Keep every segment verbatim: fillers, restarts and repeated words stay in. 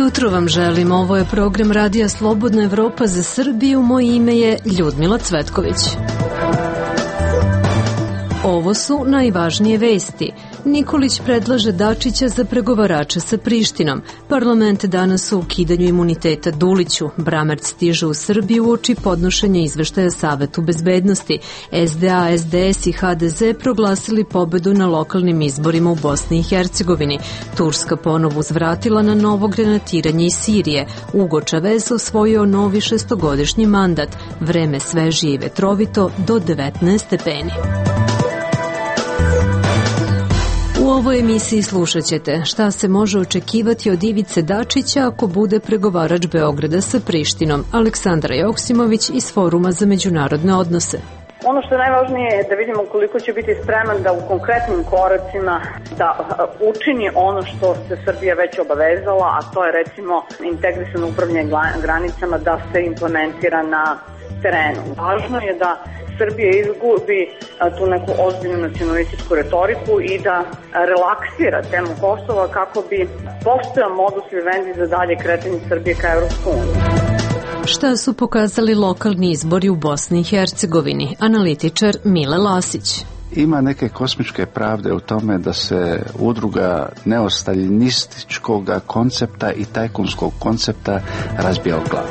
jutro vam želim. Ovo je program Radija Slobodna Evropa za Srbiju. Moje ime je Ljudmila Cvetković. Ovo su najvažnije vesti. Nikolić predlaže Dačića za pregovarača sa Prištinom. Parlament danas o ukidanju imuniteta Duliću. Bramerc stiže u Srbiju uoči podnošenja izveštaja Savetu bezbednosti. S D A, S D S i H D Z proglasili pobedu na lokalnim izborima u Bosni i Hercegovini. Turska ponovo uzvratila na novo granatiranje iz Sirije. Ugo Čavez osvojio novi šestogodišnji mandat. Vreme svežije i vetrovito do devetnaest stepeni. U ovoj emisiji slušat ćete šta se može očekivati od Ivice Dačića ako bude pregovarač Beograda sa Prištinom. Aleksandra Joksimović iz Foruma za međunarodne odnose. Ono što je najvažnije je da vidimo koliko će biti spreman da u konkretnim koracima da učini ono što se Srbija već obavezala, a to je recimo integrisano upravljanje granicama da se implementira na terenu. Važno je da Srbija izgubi tu neku ozbiljnu nacionalističku retoriku i da relaksira temu Kosova kako bi postojao modus vivendi za dalje kretanje Srbije ka Evropskoj uniji. Šta su pokazali lokalni izbori u Bosni i Hercegovini? Analitičar Mile Lasić. Ima neke kosmičke pravde u tome da se udruga neostaljinističkog koncepta i tajkunskog koncepta razbija o glavu.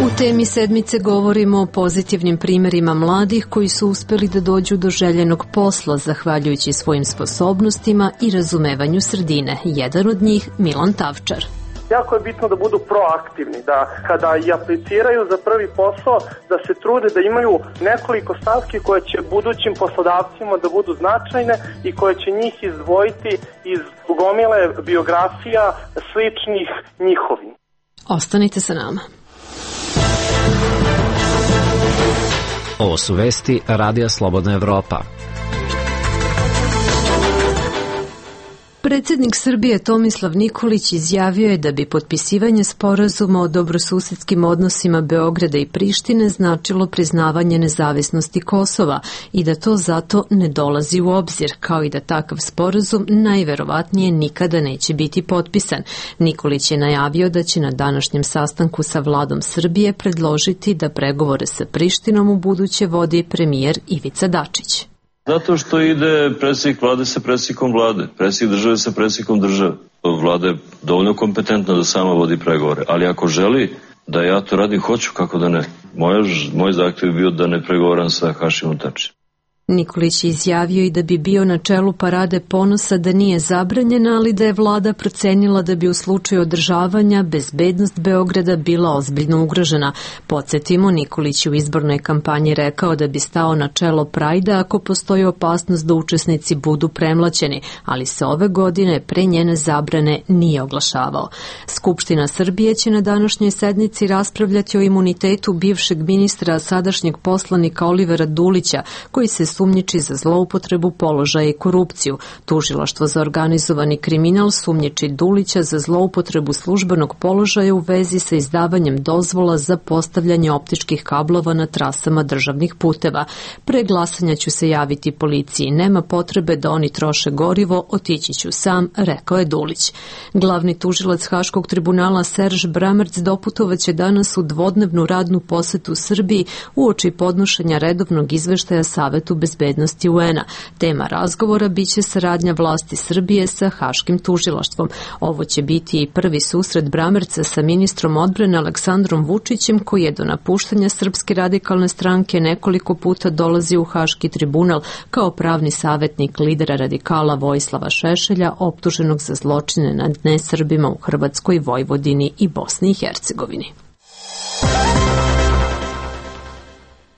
U temi sedmice govorimo o pozitivnim primjerima mladih koji su uspeli da dođu do željenog posla zahvaljujući svojim sposobnostima i razumevanju sredine. Jedan od njih Milan Tavčar. Jako je bitno da budu proaktivni, da kada i apliciraju za prvi posao, da se trude da imaju nekoliko stavki koje će budućim poslodavcima da budu značajne i koje će njih izdvojiti iz gomile biografija sličnih njihovim. Ostanite sa nama. Ovo su vesti Radija Slobodna Evropa. Predsjednik Srbije Tomislav Nikolić izjavio je da bi potpisivanje sporazuma o dobrosusedskim odnosima Beograda i Prištine značilo priznavanje nezavisnosti Kosova i da to zato ne dolazi u obzir, kao i da takav sporazum najverovatnije nikada neće biti potpisan. Nikolić je najavio da će na današnjem sastanku sa vladom Srbije predložiti da pregovore sa Prištinom u buduće vodi premijer Ivica Dačić. Zato što ide predsjednik vlade sa predsjednikom vlade, predsjednik države sa predsjednikom države. Vlada je dovoljno kompetentna da sama vodi pregovore, ali ako želi da ja to radim, hoću, kako da ne. Moj, moj zahtjev je bio da ne pregovaram sa Hašimom Tačijem. Nikolić je izjavio i da bi bio na čelu parade ponosa da nije zabranjena, ali da je vlada procenila da bi u slučaju održavanja bezbednost Beograda bila ozbiljno ugrožena. Podsjetimo, Nikolić u izbornoj kampanji rekao da bi stao na čelo Prajda ako postoji opasnost da učesnici budu premlaćeni, ali se ove godine pre njene zabrane nije oglašavao. Skupština Srbije će na današnjoj sednici raspravljati o imunitetu bivšeg ministra, sadašnjeg poslanika Olivera Dulića, koji se sumnjiči za zloupotrebu položaja i korupciju. Tužilaštvo za organizovani kriminal sumnjiči Dulića za zloupotrebu službenog položaja u vezi sa izdavanjem dozvola za postavljanje optičkih kablova na trasama državnih puteva. Pre glasanja ću se javiti policiji. Nema potrebe da oni troše gorivo, otići ću sam, rekao je Dulić. Glavni tužilac Haškog tribunala Serž Bramerc doputovaće danas u dvodnevnu radnu posetu Srbiji uoči podnošenja redovnog izveštaja Savetu bezbednosti U N-a. Tema razgovora biće saradnja vlasti Srbije sa Haškim tužilaštvom. Ovo će biti i prvi susret Bramerca sa ministrom odbrane Aleksandrom Vučićem, koji je do napuštanja Srpske radikalne stranke nekoliko puta dolazi u Haški tribunal kao pravni savjetnik lidera radikala Vojislava Šešelja, optuženog za zločine nad nesrbima u Hrvatskoj, Vojvodini i Bosni i Hercegovini.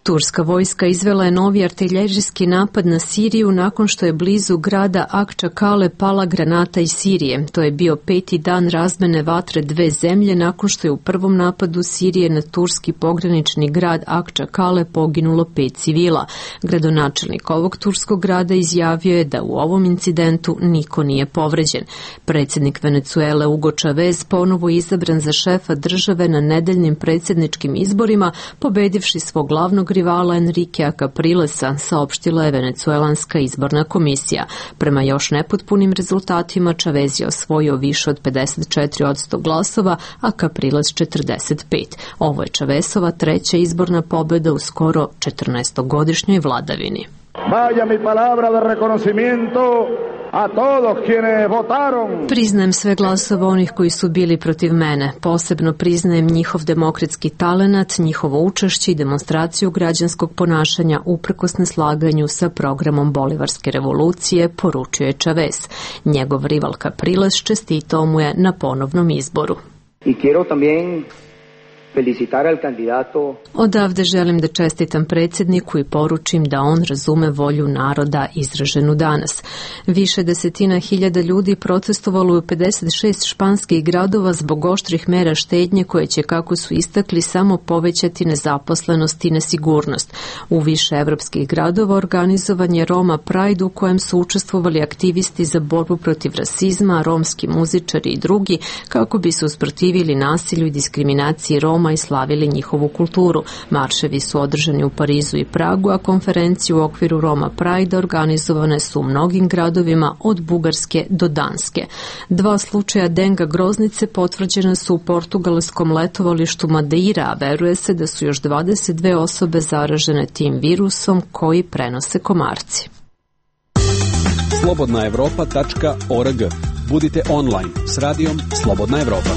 Turska vojska izvela je novi artiljerijski napad na Siriju nakon što je blizu grada Akčakale pala granata iz Sirije. To je bio peti dan razmene vatre dve zemlje nakon što je u prvom napadu Sirije na turski pogranični grad Akčakale poginulo pet civila. Gradonačelnik ovog turskog grada izjavio je da u ovom incidentu niko nije povređen. Predsjednik Venecuele Ugo Čavez ponovo izabran za šefa države na nedeljnim predsjedničkim izborima, pobedivši svog glavnog rivala Enriquea Caprilesa, saopštila je venecuelanska izborna komisija. Prema još nepotpunim rezultatima Chavez je osvojio više od pedeset četiri posto glasova, a Capriles četrdeset pet. Ovo je Chavezova treća izborna pobjeda u skoro četrnaestogodišnjoj vladavini. Vaya mi palabra de reconocimiento a todos quienes votaron. Priznajem sve glasove onih koji su bili protiv mene. Posebno priznajem njihov demokratski talenat, njihovo učešće i demonstraciju građanskog ponašanja uprkos neslaganju sa programom Bolivarske revolucije, poručio je Chavez. Njegov rival Capriles čestitao mu je na ponovnom izboru. I quiero también felicitar al candidato. Odavde želim da čestitam predsjedniku i poručim da on razume volju naroda izraženu danas. Više desetina hiljada ljudi protestovalo u pedeset šest španskih gradova zbog oštrih mera štednje koje će, kako su istakli, samo povećati nezaposlenost i nesigurnost. U više evropskih gradova organizovan je Roma Pride u kojem su učestvovali aktivisti za borbu protiv rasizma, romski muzičari i drugi, kako bi se usprotivili nasilju i diskriminaciji Roma i slavili njihovu kulturu. Marševi su održani u Parizu i Pragu, a konferencije u okviru Roma Pride organizovane su u mnogim gradovima od Bugarske do Danske. Dva slučaja denga groznice potvrđene su u portugalskom letovalištu Madeira, a veruje se da su još dvadeset dve osobe zaražene tim virusom koji prenose komarci. slobodna evropa tačka org. Budite online s radijom Slobodna Evropa.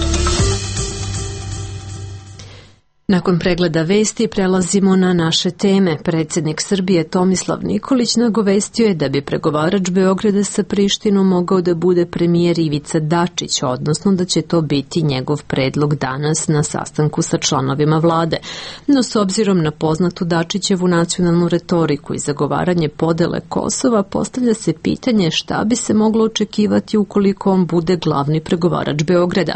Nakon pregleda vesti prelazimo na naše teme. Predsjednik Srbije Tomislav Nikolić nagovestio je da bi pregovarač Beograda sa Prištinom mogao da bude premijer Ivica Dačić, odnosno da će to biti njegov predlog danas na sastanku sa članovima vlade. No s obzirom na poznatu Dačićevu nacionalnu retoriku i zagovaranje podele Kosova, postavlja se pitanje šta bi se moglo očekivati ukoliko on bude glavni pregovarač Beograda.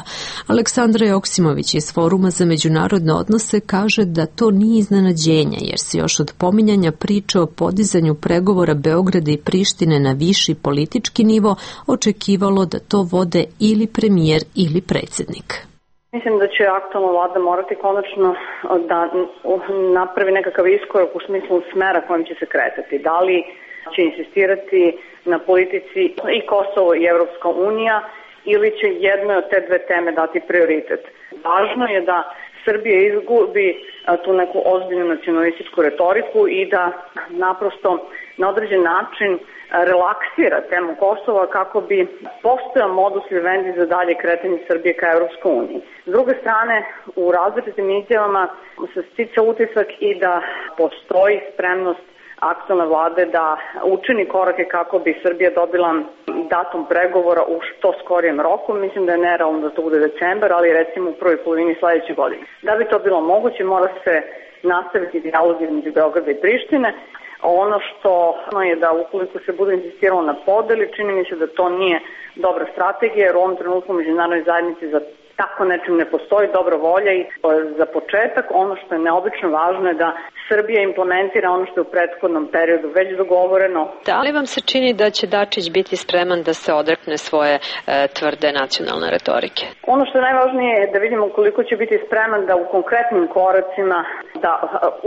Aleksandra Joksimović iz Foruma za međunarodne odnose se kaže da to nije iznenađenje, jer se još od pominjanja priče o podizanju pregovora Beograda i Prištine na viši politički nivo očekivalo da to vode ili premijer ili predsjednik. Mislim da će aktualna vlada morati konačno da napravi nekakav iskorak u smislu smera kojim će se kretati. Da li će insistirati na politici i Kosovo i Evropska unija ili će jednoj od te dve teme dati prioritet. Važno je da Srbija izgubi tu neku ozbiljnu nacionalističku retoriku i da naprosto na određen način relaksira temu Kosova kako bi postojao modus vivendi za dalje kretanje Srbije ka Evropskoj uniji. S druge strane, u različitim izjavama se stica utisak i da postoji spremnost aktualne vlade da učini korake kako bi Srbija dobila datum pregovora u što skorijem roku. Mislim da je nerealno da to bude decembar, ali recimo u prvoj polovini sledeće godine. Da bi to bilo moguće, mora se nastaviti dijalog između Beograda i Prištine. Ono što je da ukoliko se bude insistiralo na podeli, čini mi se da to nije dobra strategija, jer u ovom trenutku međunarodnoj zajednici za tako nečim ne postoji dobra volja i za početak ono što je neobično važno je da Srbija implementira ono što je u prethodnom periodu već dogovoreno. Da li vam se čini da će Dačić biti spreman da se odrekne svoje e, tvrde nacionalne retorike? Ono što je najvažnije je da vidimo koliko će biti spreman da u konkretnim koracima da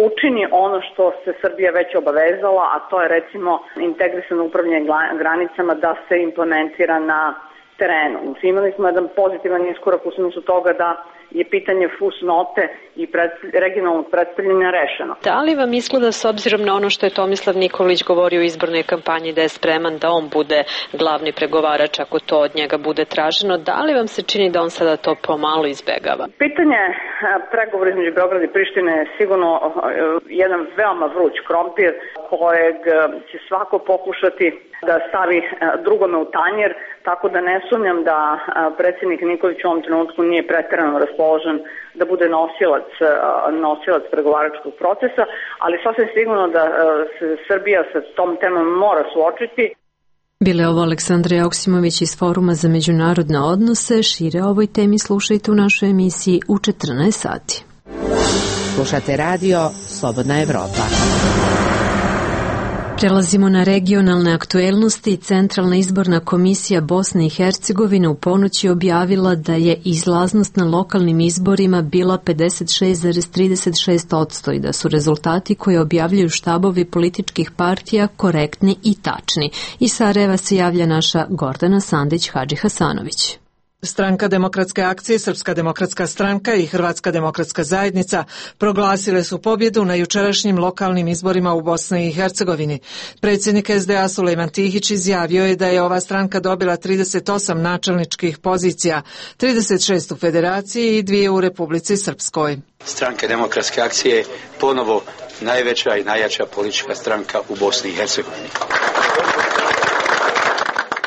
učini ono što se Srbija već obavezala, a to je recimo integrisano upravljanje granicama da se implementira na terenu. Imali smo jedan pozitivan iskorak u smislu toga da je pitanje fusnote i pred, regionalnog predstavljanja rešeno. Da li vam izgleda, s obzirom na ono što je Tomislav Nikolić govorio u izbornoj kampanji, da je spreman da on bude glavni pregovarač ako to od njega bude traženo, da li vam se čini da on sada to pomalo izbegava? Pitanje pregovora između Beograda i Prištine je sigurno jedan veoma vruć krompir kojeg će svako pokušati da stavi drugome u tanjer, tako da ne sumnjam da predsjednik Nikolić u ovom trenutku nije preterano raspoložen da bude nosilac, nosilac pregovaračkog procesa, ali sasvim sigurno da se Srbija sa tom temom mora suočiti. Bile ovo Aleksandra Joksimović iz Foruma za međunarodne odnose. Šire o ovoj temi slušajte u našoj emisiji u četrnaest sati. Slušate radio Slobodna Evropa. Prelazimo na regionalne aktuelnosti. Centralna izborna komisija Bosne i Hercegovine u ponoć je objavila da je izlaznost na lokalnim izborima bila pedeset šest zarez trideset šest posto i da su rezultati koje objavljuju štabovi političkih partija korektni i tačni. Iz Sarajeva se javlja naša Gordana Sandić-Hadži Hasanović. Stranka demokratske akcije, Srpska demokratska stranka i Hrvatska demokratska zajednica proglasile su pobjedu na jučerašnjim lokalnim izborima u Bosni i Hercegovini. Predsjednik es de a Sulejman Tihić izjavio je da je ova stranka dobila trideset osam načelničkih pozicija, trideset šest u Federaciji i dvije u Republici Srpskoj. Stranka demokratske akcije je ponovo najveća i najjača politička stranka u Bosni i Hercegovini.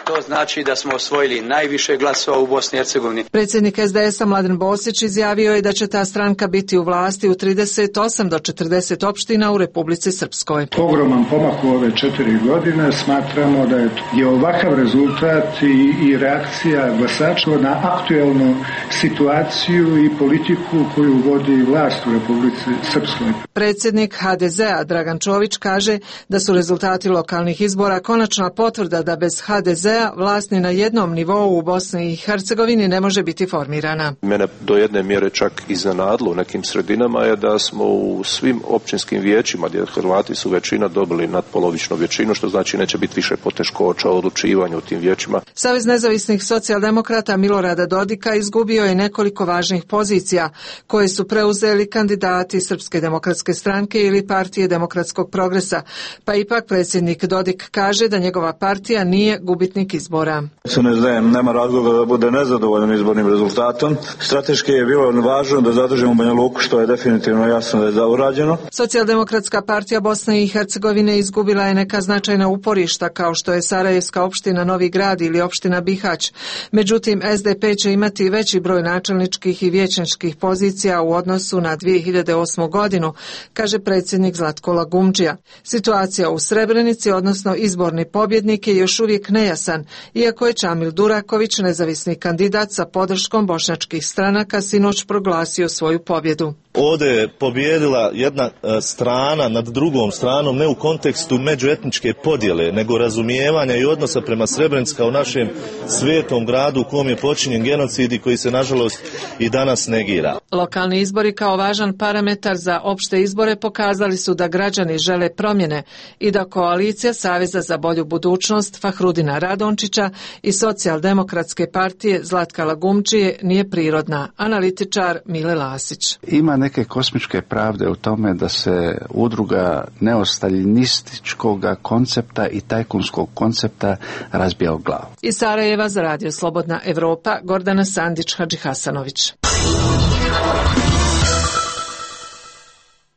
To znači da smo osvojili najviše glasova u Bosni i Hercegovini. Predsjednik es de es a Mladen Bosić izjavio je da će ta stranka biti u vlasti u trideset osam do četrdeset opština u Republici Srpskoj. Ogroman pomak u ove četiri godine. Smatramo da je ovakav rezultat i, i reakcija glasača na aktuelnu situaciju i politiku koju vodi vlast u Republici Srpskoj. Predsjednik ha de ze a Dragan Čović kaže da su rezultati lokalnih izbora konačna potvrda da bez ha de ze a vlast ni na jednom nivou u Bosni i Hercegovini ne može biti formirana. Mene do jedne mjere čak iznenadilo u nekim sredinama je da smo u svim općinskim vijećima gdje Hrvati su većina dobili nadpolovičnu većinu, što znači neće biti više poteškoća u odlučivanju u tim vijećima. Savez nezavisnih socijaldemokrata Milorada Dodika izgubio je nekoliko važnih pozicija koje su preuzeli kandidati Srpske demokratske stranke ili Partije demokratskog progresa, pa ipak predsjednik Dodik kaže da njegova partija nije gubitnik izbora. Se ne znam, nema razloga da bude nezadovoljan izbornim rezultatom. Strateški je bilo važno da zadržimo Banja Luku, što je definitivno jasno da je zaurađeno. Socijaldemokratska partija Bosne i Hercegovine izgubila je neka značajna uporišta kao što je Sarajevska opština Novi Grad ili opština Bihać. Međutim, es de pe će imati veći broj načelničkih i vijećničkih pozicija u odnosu na dvije hiljade osmu godinu, kaže predsjednik Zlatko Lagumdžija. Situacija u Srebrenici, odnosno izborni pobjednik, je još uvijek nejasan, iako je Čamil Duraković, nezavisni kandidat sa podrškom bošnjačkih stranaka, sinoć proglasio svoju pobjedu. Ovdje je pobjedila jedna strana nad drugom stranom, ne u kontekstu međuetničke podjele, nego razumijevanja i odnosa prema Srebrenici kao našem svetom gradu u kom je počinjen genocid i koji se nažalost i danas negira. Lokalni izbori kao važan parametar za opšte izbore pokazali su da građani žele promjene i da koalicija Saveza za bolju budućnost Fahrudina Radončića i Socijaldemokratske partije Zlatka Lagumdžije nije prirodna. Analitičar Mile Lasić. Ima neke kosmičke pravde u tome da se udruga neostaljinističkog koncepta i tajkunskog koncepta razbija u glavu. Iz Sarajeva za Radio Slobodna Evropa, Gordana Sandić-Hadži Hasanović.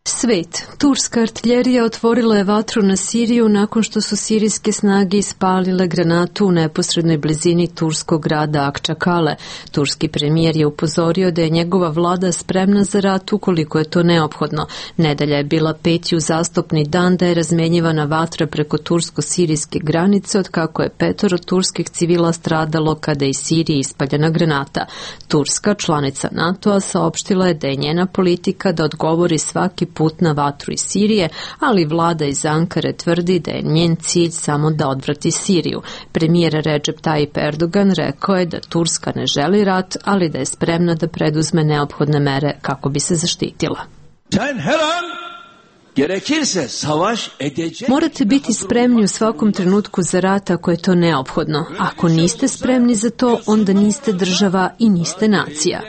Svet. Turska artiljerija otvorila je vatru na Siriju nakon što su sirijske snage ispalile granatu u neposrednoj blizini turskog grada Akčakale. Turski premijer je upozorio da je njegova vlada spremna za rat ukoliko je to neophodno. Nedelja je bila peti uzastopni dan da je razmenjivana vatra preko tursko-sirijske granice od kako je petoro turskih civila stradalo kada je iz Sirije ispaljena granata. Turska, članica NATO-a, saopštila je da je njena politika da odgovori svaki put na vatru iz Sirije, ali vlada iz Ankare tvrdi da je njen cilj samo da odvrati Siriju. Premijer Recep Tayyip Erdogan rekao je da Turska ne želi rat, ali da je spremna da preduzme neophodne mere kako bi se zaštitila. Morate biti spremni u svakom trenutku za rat ako je to neophodno. Ako niste spremni za to, onda niste država i niste nacija.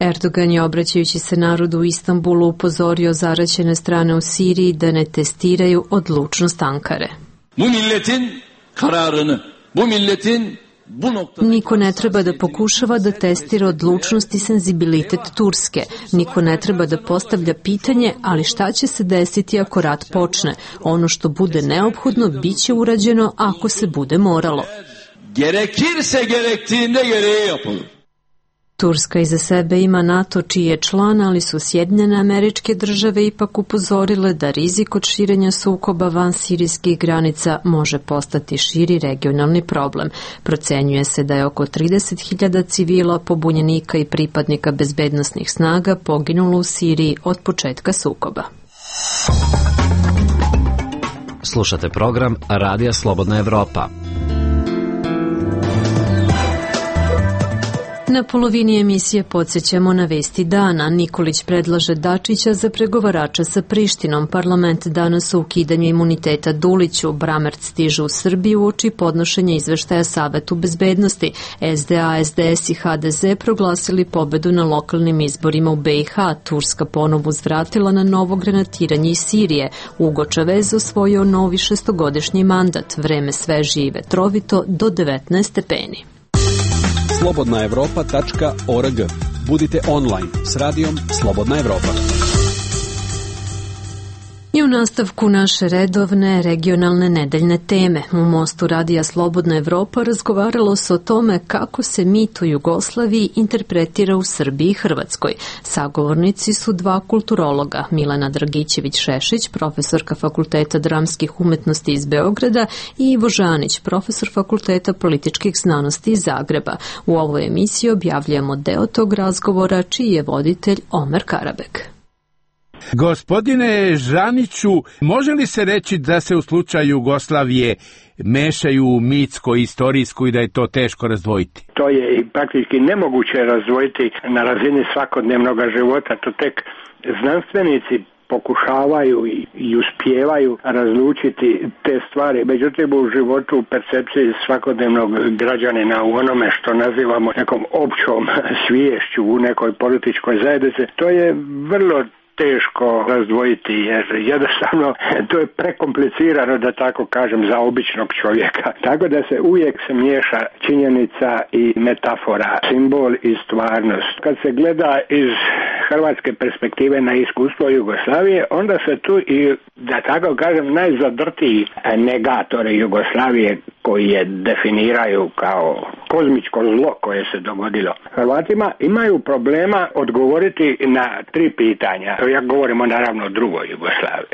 Erdogan je, obraćajući se narodu u Istanbulu, upozorio zaraćene strane u Siriji da ne testiraju odlučnost Ankare. Niko ne treba da pokušava da testira odlučnost i senzibilitet Turske. Niko ne treba da postavlja pitanje, ali šta će se desiti ako rat počne? Ono što bude neophodno bit će urađeno ako se bude moralo. Gerekirse gerektiğinde gereği yapılır. Turska iza sebe ima NATO čiji je član, ali su Sjedinjene Američke Države ipak upozorile da rizik od širenja sukoba van sirijskih granica može postati širi regionalni problem. Procenjuje se da je oko trideset hiljada civila, pobunjenika i pripadnika bezbednosnih snaga poginulo u Siriji od početka sukoba. Slušate program Radija Slobodna Evropa. Na polovini emisije podsjećamo na vesti dana. Nikolić predlaže Dačića za pregovarača sa Prištinom. Parlament danas o ukidanju imuniteta Duliću. Bramerc stiže u Srbiju uoči podnošenja izveštaja Savetu bezbednosti. S D A, S D S i H D Z proglasili pobedu na lokalnim izborima u B i H. Turska ponovo uzvratila na novo granatiranje iz Sirije. Ugo Čavez osvojio novi šestogodišnji mandat. Vreme sveže i vetrovito do devetnaest stepeni. slobodna evropa tačka org. Budite online s radijom Slobodna Evropa. I u nastavku naše redovne regionalne nedeljne teme. U mostu Radija Slobodna Evropa razgovaralo se o tome kako se mit o Jugoslaviji interpretira u Srbiji i Hrvatskoj. Sagovornici su dva kulturologa, Milena Dragićević-Šešić, profesorka Fakulteta dramskih umetnosti iz Beograda, i Ivo Žanić, profesor Fakulteta političkih znanosti iz Zagreba. U ovoj emisiji objavljujemo deo tog razgovora, čiji je voditelj Omer Karabek. Gospodine Žaniću, može li se reći da se u slučaju Jugoslavije mešaju mitsko i istorijsko i da je to teško razdvojiti? To je praktički nemoguće razdvojiti na razini svakodnevnog života. To tek znanstvenici pokušavaju i uspijevaju razlučiti te stvari. Međutim, u životu, u percepciji svakodnevnog građanina, u onome što nazivamo nekom općom sviješću u nekoj političkoj zajednici, to je vrlo teško razdvojiti, jer jednostavno to je prekomplicirano, da tako kažem, za običnog čovjeka. Tako da se uvijek se miješa činjenica i metafora, simbol i stvarnost. Kad se gleda iz hrvatske perspektive na iskustvo Jugoslavije, onda se tu i, da tako kažem, najzadrtiji negatori Jugoslavije, koji je definiraju kao kozmičko zlo koje se dogodilo Hrvatima, imaju problema odgovoriti na tri pitanja. Ja govorimo naravno o drugoj Jugoslaviji.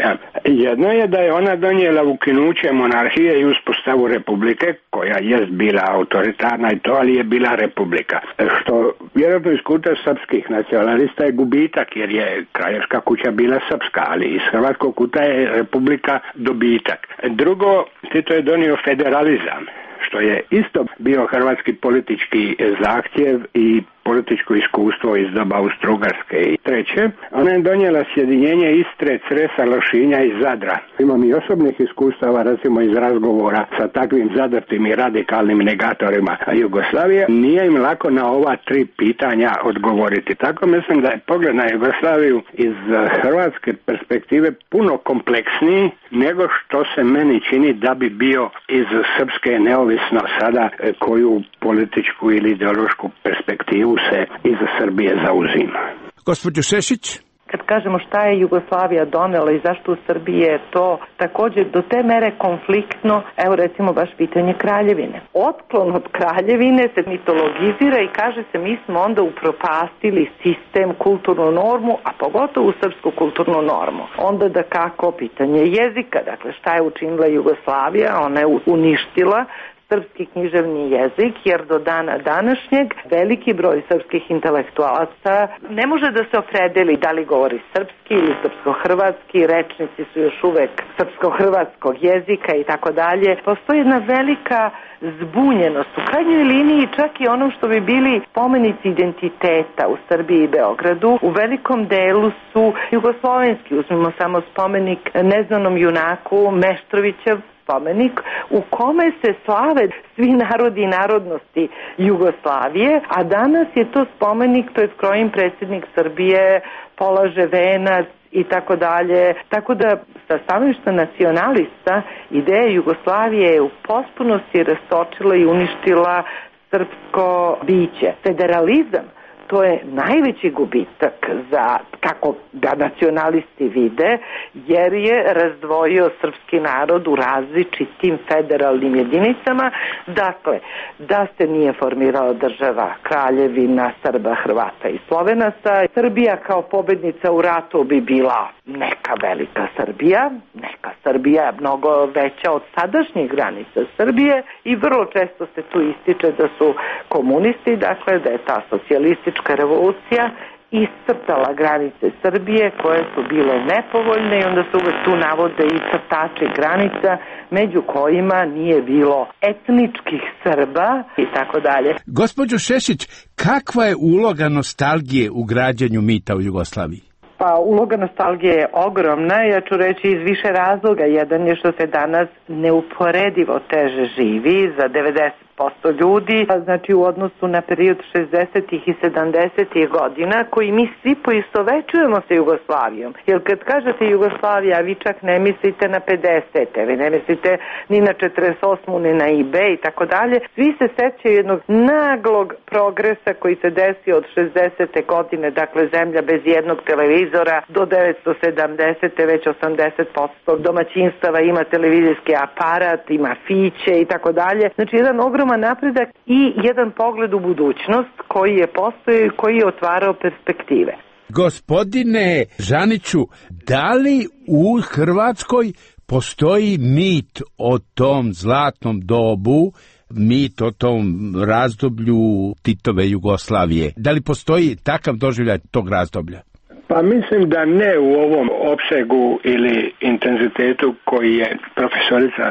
Jedno je da je ona donijela ukinuće monarhije i uspostavu republike, koja jest bila autoritarna i to, ali je bila republika. Što vjerojatno iz kuta srpskih nacionalista je gubitak, jer je kraljevska kuća bila srpska, ali iz hrvatskog kuta je republika dobitak. Drugo, Tito je donio federalizam, što je isto bio hrvatski politički zahtjev i političko iskustvo iz doba Austro-Ugarske. I treće, ona je donijela sjedinjenje Istre, Cresa, Lošinja i Zadra. Imam i osobnih iskustava, recimo iz razgovora sa takvim zadrtim i radikalnim negatorima Jugoslavije. Nije im lako na ova tri pitanja odgovoriti. Tako mislim da je pogled na Jugoslaviju iz hrvatske perspektive puno kompleksniji nego što se meni čini da bi bio iz srpske, neovisno sada koju političku ili ideološku perspektivu se iza Srbije zauzima. Gospođo Šešić? Kad kažemo šta je Jugoslavija donela i zašto u Srbiji je to također do te mere konfliktno, evo recimo baš pitanje kraljevine. Otklon od kraljevine se mitologizira i kaže se mi smo onda upropastili sistem, kulturnu normu, a pogotovo srpsku kulturnu normu. Onda da kako pitanje jezika, dakle šta je učinila Jugoslavija, ona je uništila srpski književni jezik, jer do dana današnjeg veliki broj srpskih intelektualaca ne može da se opredeli da li govori srpski ili srpsko-hrvatski, rečnici su još uvek srpsko-hrvatskog jezika i tako dalje. Postoji jedna velika zbunjenost, u krajnjoj liniji čak i onom što bi bili spomenici identiteta u Srbiji i Beogradu, u velikom delu su jugoslovenski. Uzmimo samo spomenik neznanom junaku Meštrovićev spomenik u kome se slave svi narodi i narodnosti Jugoslavije, a danas je to spomenik pred kojim predsjednik Srbije polaže venac i tako dalje. Tako da sa stanovišta nacionalista ideja Jugoslavije je u potpunosti rastočila i uništila srpsko biće. Federalizam, to je najveći gubitak za, kako ga nacionalisti vide, jer je razdvojio srpski narod u različitim federalnim jedinicama. Dakle, da se nije formirala država Kraljevina Srba, Hrvata i Slovenaca, Srbija kao pobednica u ratu bi bila neka velika Srbija, neka Srbija mnogo veća od sadašnjih granica Srbije i vrlo često se tu ističe da su komunisti, dakle da je ta socijalistička revolucija iscrtala granice Srbije koje su bile nepovoljne i onda se uvek tu navode i crtači granica među kojima nije bilo etničkih Srba i tako dalje. Gospođo Šešić, kakva je uloga nostalgije u građanju mita u Jugoslaviji? Pa uloga nostalgije je ogromna, ja ću reći iz više razloga. Jedan je što se danas neuporedivo teže živi za devedeset posto ljudi, znači u odnosu na period šezdesetih i sedamdesetih godina, koji mi svi poistovećujemo sa Jugoslavijom. Jer kad kažete Jugoslavija, vi čak ne mislite na pedesete, vi ne mislite ni na četrdeset osmu, ni na I B E i tako dalje. Svi se sećaju jednog naglog progresa koji se desio od šezdesete godine, dakle zemlja bez jednog televizora, do devetsto sedamdesete već osamdeset posto domaćinstava ima televizijski aparat, ima fiće i tako dalje. Znači jedan ogrom napredak i jedan pogled u budućnost koji je postojao i koji je otvarao perspektive. Gospodine Žaniću, da li u Hrvatskoj postoji mit o tom zlatnom dobu, mit o tom razdoblju Titove Jugoslavije? Da li postoji takav doživljaj tog razdoblja? Pa mislim da ne u ovom opsegu ili intenzitetu koji je profesorica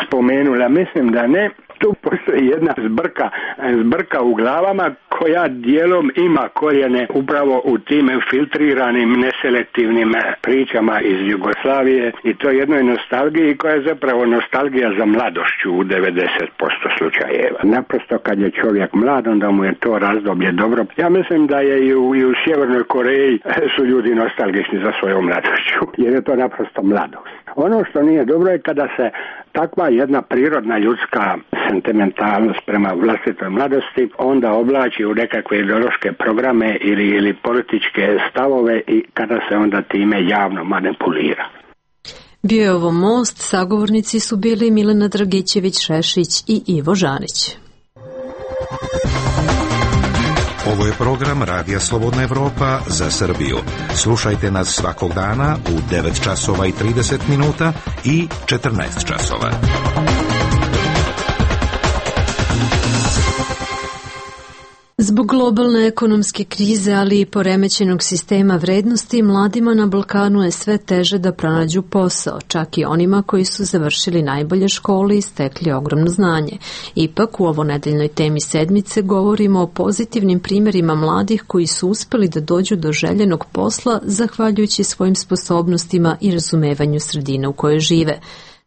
spomenula. Mislim da ne. Tu postoji jedna zbrka, zbrka u glavama koja dijelom ima korijene upravo u tim filtriranim, neselektivnim pričama iz Jugoslavije i to jednoj nostalgiji koja je zapravo nostalgija za mladošću u devedeset posto slučajeva. Naprosto kad je čovjek mlad, onda mu je to razdoblje dobro. Ja mislim da je i u, i u Sjevernoj Koreji su ljudi nostalgični za svojom mladošću, jer je to naprosto mladost. Ono što nije dobro je kada se takva jedna prirodna ljudska sentimentalnost prema vlastitoj mladosti onda oblači u nekakve ideološke programe ili, ili političke stavove i kada se onda time javno manipulira. Bio je ovo Most, sagovornici su bili Milena Dragićević-Šešić i Ivo Žanić. Ovo je program Radija Slobodna Evropa za Srbiju. Slušajte nas svakog dana u devet časova i trideset minuta i četrnaest časova. Zbog globalne ekonomske krize, ali i poremećenog sistema vrednosti, mladima na Balkanu je sve teže da pronađu posao, čak i onima koji su završili najbolje škole i stekli ogromno znanje. Ipak, u ovonedeljnoj temi sedmice govorimo o pozitivnim primjerima mladih koji su uspeli da dođu do željenog posla zahvaljujući svojim sposobnostima i razumevanju sredine u kojoj žive.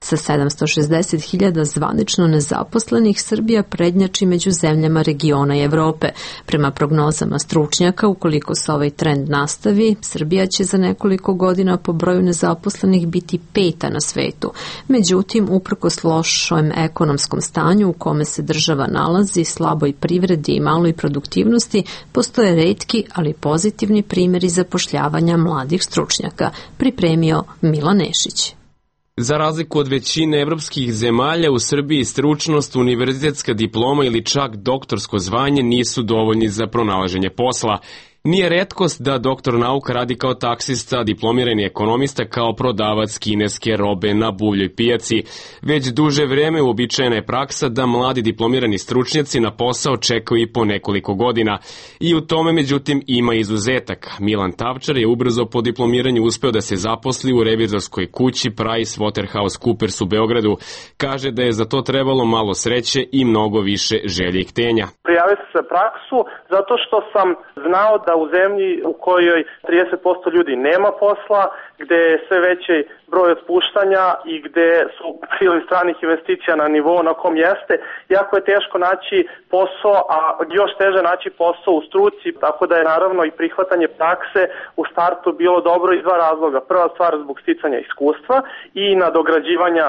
Sa sedamsto šezdeset hiljada zvanično nezaposlenih, Srbija prednjači među zemljama regiona i Evrope. Prema prognozama stručnjaka, ukoliko se ovaj trend nastavi, Srbija će za nekoliko godina po broju nezaposlenih biti peta na svetu. Međutim, uprkos lošem ekonomskom stanju u kome se država nalazi, slaboj privredi i maloj produktivnosti, postoje retki, ali pozitivni primjeri zapošljavanja mladih stručnjaka, pripremio Milan Nešić. Za razliku od većine evropskih zemalja, u Srbiji stručnost, univerzitetska diploma ili čak doktorsko zvanje nisu dovoljni za pronalaženje posla. Nije retkost da doktor nauka radi kao taksista, diplomirani ekonomista, kao prodavac kineske robe na buvljoj pijaci. Već duže vreme uobičajena je praksa da mladi diplomirani stručnjaci na posao čekaju i po nekoliko godina. I u tome, međutim, ima izuzetak. Milan Tavčar je ubrzo po diplomiranju uspeo da se zaposli u revizorskoj kući PricewaterhouseCoopers u Beogradu. Kaže da je za to trebalo malo sreće i mnogo više želje i htenja. Prijavio sam se praksu zato što sam znao da u zemlji u kojoj trideset posto ljudi nema posla, gde je sve veći broj otpuštanja i gde su priliv stranih investicija na nivou na kom jeste, jako je teško naći posao, a još teže naći posao u struci, tako da je naravno i prihvatanje prakse u startu bilo dobro iz dva razloga. Prva stvar zbog sticanja iskustva i nadograđivanja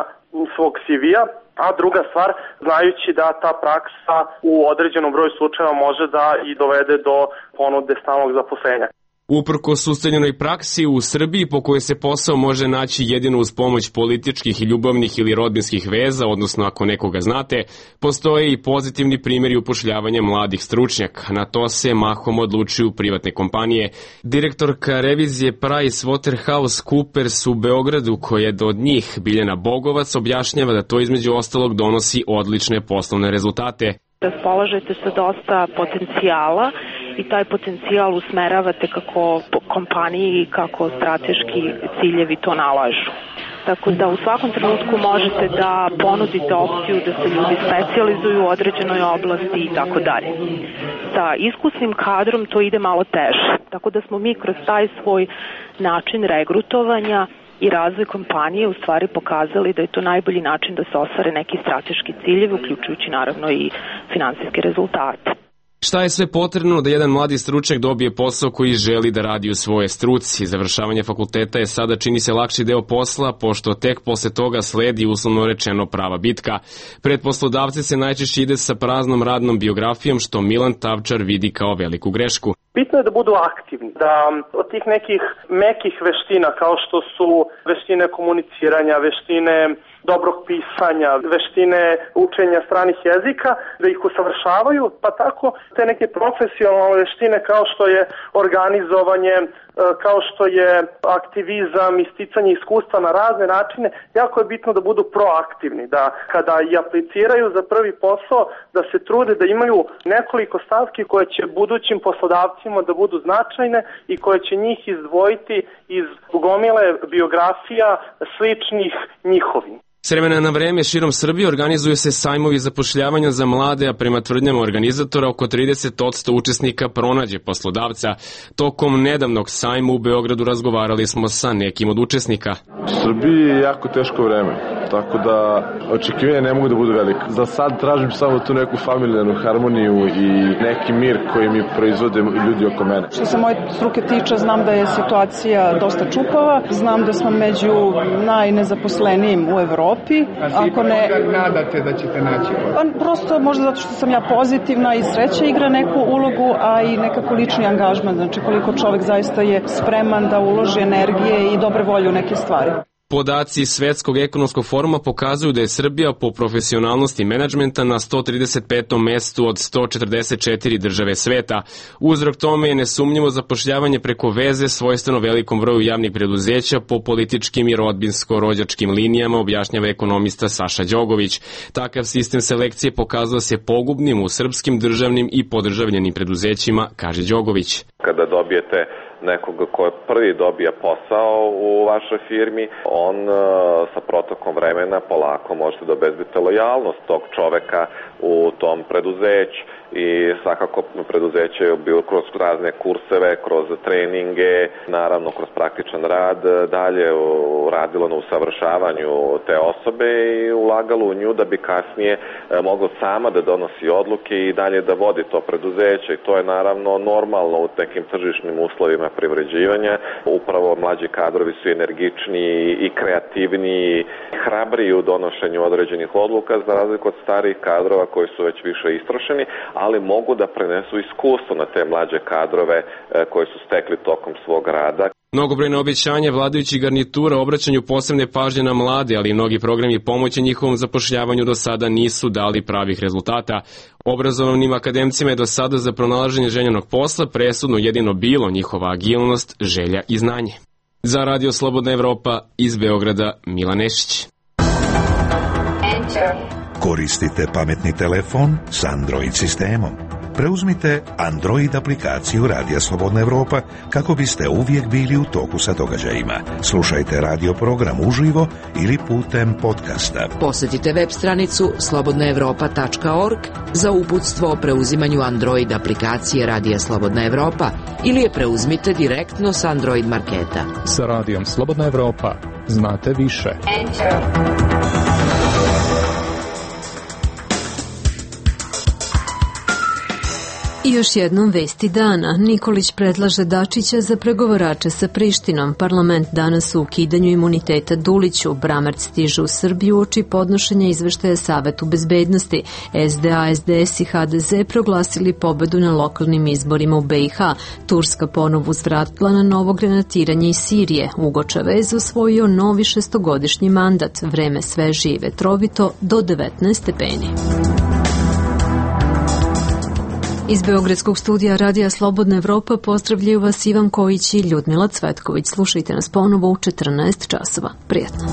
svog C V-a, a druga stvar, znajući da ta praksa u određenom broju slučajeva može da i dovede do ponude stalnog zaposlenja. Uprkos ustaljenoj praksi u Srbiji po kojoj se posao može naći jedino uz pomoć političkih i ljubavnih ili rodbinskih veza, odnosno ako nekoga znate, postoje i pozitivni primjeri upošljavanja mladih stručnjaka. Na to se mahom odlučuju privatne kompanije. Direktorka revizije PricewaterhouseCoopers u Beogradu, koja je od njih Biljana Bogovac, objašnjava da to između ostalog donosi odlične poslovne rezultate. Raspolažete sa dosta potencijala i taj potencijal usmeravate kako kompaniji i kako strateški ciljevi to nalažu. Tako da u svakom trenutku možete da ponudite opciju da se ljudi specijalizuju u određenoj oblasti i tako dalje. Sa iskusnim kadrom to ide malo teže, tako da smo mi kroz taj svoj način regrutovanja i razvoj kompanije u stvari pokazali da je to najbolji način da se ostvare neki strateški ciljevi, uključujući naravno i finansijske rezultate. Šta je sve potrebno da jedan mladi stručnjak dobije posao koji želi da radi u svojoj struci? Završavanje fakulteta je sada čini se lakši deo posla, pošto tek posle toga sledi uslovno rečeno prava bitka. Pred poslodavce se najčešće ide sa praznom radnom biografijom, što Milan Tavčar vidi kao veliku grešku. Bitno je da budu aktivni, da od tih nekih mekih veština kao što su veštine komuniciranja, veštine dobrog pisanja, veštine učenja stranih jezika, da ih usavršavaju, pa tako te neke profesionalne veštine kao što je organizovanje, kao što je aktivizam, isticanje iskustva na razne načine, jako je bitno da budu proaktivni, da kada i apliciraju za prvi posao, da se trude da imaju nekoliko stavki koje će budućim poslodavcima da budu značajne i koje će njih izdvojiti iz gomile biografija sličnih njihovim. S vremena na vreme širom Srbije organizuju se sajmovi zapošljavanja za mlade, a prema tvrdnjama organizatora oko trideset posto učesnika pronađe poslodavca. Tokom nedavnog sajma u Beogradu razgovarali smo sa nekim od učesnika. U Srbiji je jako teško vreme, tako da očekivanja ne mogu da budu velike. Za sad tražim samo tu neku familijarnu harmoniju i neki mir koji mi proizvode ljudi oko mene. Što se moje struke tiče, znam da je situacija dosta čupava, znam da smo među najnezaposlenijim u Evropi. Ako ne nadate da ćete naći? Pa prosto možda zato što sam ja pozitivna i sreća igra neku ulogu, a i nekako lični angažman, znači koliko čovek zaista je spreman da uloži energije i dobre volje u neke stvari. Podaci Svetskog ekonomskog foruma pokazuju da je Srbija po profesionalnosti menadžmenta na sto trideset petom mestu od sto četrdeset četiri države sveta. Uzrok tome je nesumnjivo zapošljavanje preko veze svojstveno velikom broju javnih preduzeća po političkim i rodbinsko-rođačkim linijama, objašnjava ekonomista Saša Đogović. Takav sistem selekcije pokazao se pogubnim u srpskim državnim i podržavljenim preduzećima, kaže Đogović. Kada dobijete nekoga ko prvi dobija posao u vašoj firmi, on uh, sa protokom vremena polako možete da obezbedite lojalnost tog čoveka u tom preduzeću. I svakako preduzeće je bilo kroz razne kurseve, kroz treninge, naravno kroz praktičan rad, dalje radilo na usavršavanju te osobe i ulagalo u nju da bi kasnije moglo sama da donosi odluke i dalje da vodi to preduzeće. I to je naravno normalno u nekim tržišnim uslovima privređivanja. Upravo mlađi kadrovi su energičniji i kreativniji, hrabriji u donošenju određenih odluka za razliku od starih kadrova koji su već više istrošeni, ali mogu da prenesu iskustvo na te mlađe kadrove koje su stekli tokom svog rada. Mnogobrojne obećanja vladajućih garnitura obraćanju posebne pažnje na mlade, ali i mnogi programi pomoći njihovom zapošljavanju do sada nisu dali pravih rezultata. Obrazovanim akademcima je do sada za pronalaženje željenog posla presudno jedino bilo njihova agilnost, želja i znanje. Za Radio Slobodna Evropa iz Beograda, Milan Nešić. Koristite pametni telefon s Android sistemom. Preuzmite Android aplikaciju Radija Slobodna Evropa kako biste uvijek bili u toku sa događajima. Slušajte radio program uživo ili putem podcasta. Posjetite web stranicu slobodna evropa tačka org za uputstvo o preuzimanju Android aplikacije Radija Slobodna Evropa ili je preuzmite direktno s Android marketa. Sa Radijom Slobodna Evropa znate više. Enter. I još jednom vesti dana. Nikolić predlaže Dačića za pregovarače sa Prištinom. Parlament danas u ukidanju imuniteta Duliću. Bramerc stiže u Srbiju uoči podnošenja izveštaja Savetu bezbednosti. S D A, S D S i H D Z proglasili pobedu na lokalnim izborima u B i H. Turska ponovo uzvratila na novo granatiranje iz Sirije. Ugo Čavez osvojio novi šestogodišnji mandat. Vreme sveže i vetrovito do devetnaest stepeni. Iz Beogradskog studija Radija Slobodna Evropa pozdravljaju vas Ivan Kojić i Ljudmila Cvetković. Slušajte nas ponovo u četrnaest časova. Prijatno.